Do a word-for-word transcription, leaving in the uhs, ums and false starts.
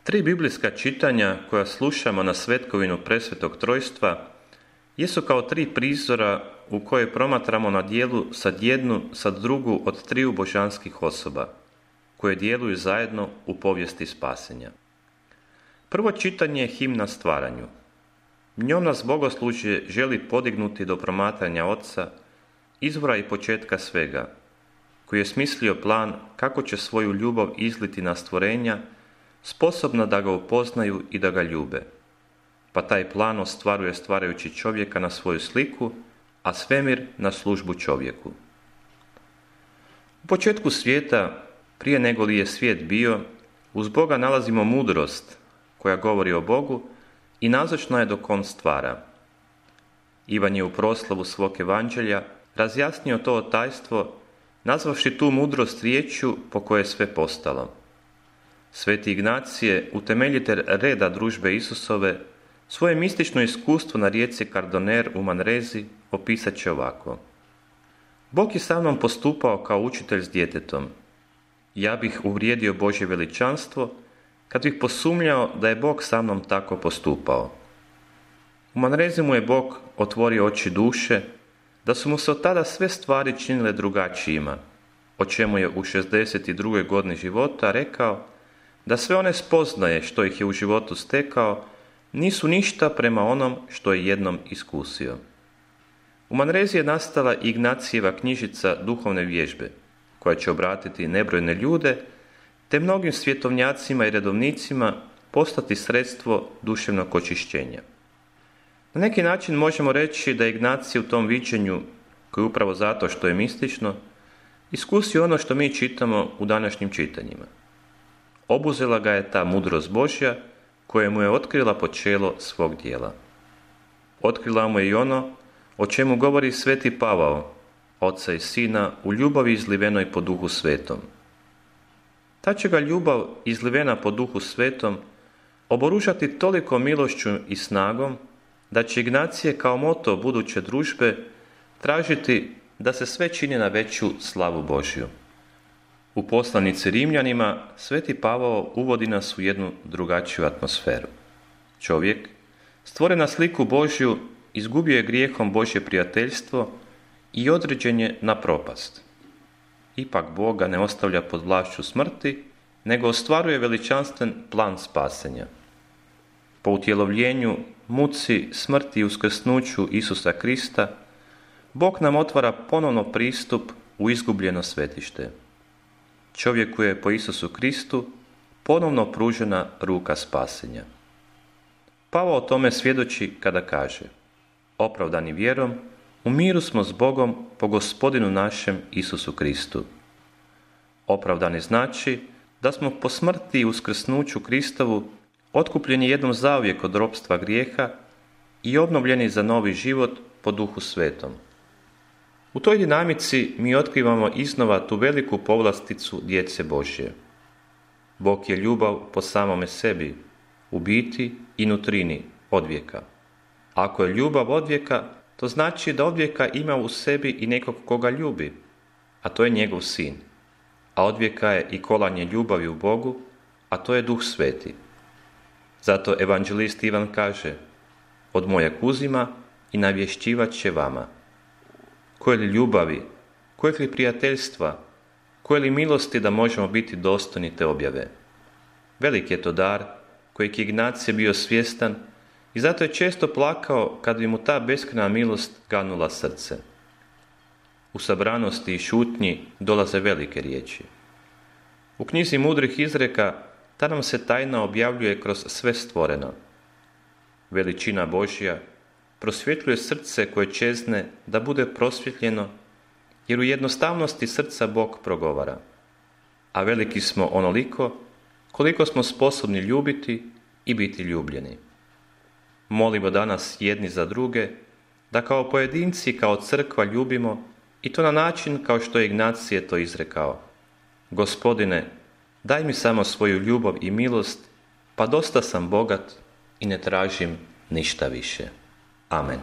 Tri biblijska čitanja koja slušamo na svetkovinu Presvetog Trojstva jesu kao tri prizora u kojoj promatramo na djelu sad jednu, sad drugu od triju božanskih osoba, koje djeluju zajedno u povijesti spasenja. Prvo čitanje je himna stvaranju. Njom nas bogoslužje želi podignuti do promatranja Oca, izvora i početka svega, koji je smislio plan kako će svoju ljubav izliti na stvorenja, sposobna da ga upoznaju i da ga ljube. Pa taj plan ostvaruje stvarajući čovjeka na svoju sliku, a svemir na službu čovjeku. U početku svijeta, prije nego li je svijet bio, uz Boga nalazimo mudrost koja govori o Bogu i nazočna je dok on stvara. Ivan je u proslavu svog evanđelja razjasnio to tajstvo, nazvavši tu mudrost riječju po kojoj je sve postalo. Sveti Ignacije, utemeljitelj reda družbe Isusove, svoje mistično iskustvo na rijeci Kardoner u Manrezi opisat će ovako. Bog je sa mnom postupao kao učitelj s djetetom. Ja bih uvrijedio Božje veličanstvo kad bih posumnjao da je Bog sa mnom tako postupao. U Manrezi mu je Bog otvorio oči duše, da su mu se od tada sve stvari činile drugačijima, o čemu je u šezdeset drugoj godini života rekao da sve one spoznaje što ih je u životu stekao nisu ništa prema onom što je jednom iskusio. U Manrezi je nastala Ignacijeva knjižica duhovne vježbe, koja će obratiti nebrojne ljude, te mnogim svjetovnjacima i redovnicima postati sredstvo duševnog očišćenja. Na neki način možemo reći da je Ignacije u tom viđenju, koji upravo zato što je mistično, iskusio ono što mi čitamo u današnjim čitanjima. Obuzela ga je ta mudrost Božja koja mu je otkrila počelo svog dijela. Otkrila mu je i ono o čemu govori sveti Pavao, Oca i Sina u ljubavi izlivenoj po Duhu Svetom. Ta će ga ljubav izlivena po Duhu Svetom oboružati toliko milošću i snagom da će Ignacije kao moto buduće družbe tražiti da se sve čini na veću slavu Božju. U poslanici Rimljanima sveti Pavao uvodi nas u jednu drugačiju atmosferu. Čovjek, stvoren na sliku Božju, izgubio je grijehom Božje prijateljstvo i određen je na propast. Ipak Bog ga ne ostavlja pod vlašću smrti, nego ostvaruje veličanstven plan spasenja. Po utjelovljenju, muci, smrti i uskrsnuću Isusa Krista, Bog nam otvara ponovno pristup u izgubljeno svetište. Čovjeku je po Isusu Kristu ponovno pružena ruka spasenja. Pavao o tome svjedoči kada kaže: opravdani vjerom, u miru smo s Bogom po Gospodinu našem Isusu Kristu. Opravdani znači da smo po smrti i uskrsnuću Kristovu otkupljeni jednom zauvijek od ropstva grijeha i obnovljeni za novi život po Duhu Svetom. U toj dinamici mi otkrivamo iznova tu veliku povlasticu djece Božje. Bog je ljubav po samome sebi, u biti i nutrini odvijeka. Ako je ljubav odvijeka, to znači da odvijeka ima u sebi i nekog koga ljubi, a to je njegov sin. A odvijeka je i kolanje ljubavi u Bogu, a to je Duh Sveti. Zato evanđelist Ivan kaže: od mojeg uzima i navješćivat će vama. Koje li ljubavi, koje li prijateljstva, koje li milosti da možemo biti dostojni te objave. Velik je to dar kojeg je Ignacije bio svjestan i zato je često plakao kad bi mu ta beskrajna milost ganula srce. U sabranosti i šutnji dolaze velike riječi. U knjizi mudrih izreka ta nam se tajna objavljuje kroz sve stvoreno. Veličina Božja prosvjetljuje srce koje čezne da bude prosvjetljeno, jer u jednostavnosti srca Bog progovara. A veliki smo onoliko koliko smo sposobni ljubiti i biti ljubljeni. Molimo danas jedni za druge da kao pojedinci, kao crkva ljubimo i to na način kao što je Ignacije to izrekao. Gospodine, daj mi samo svoju ljubav i milost, pa dosta sam bogat i ne tražim ništa više. Amen.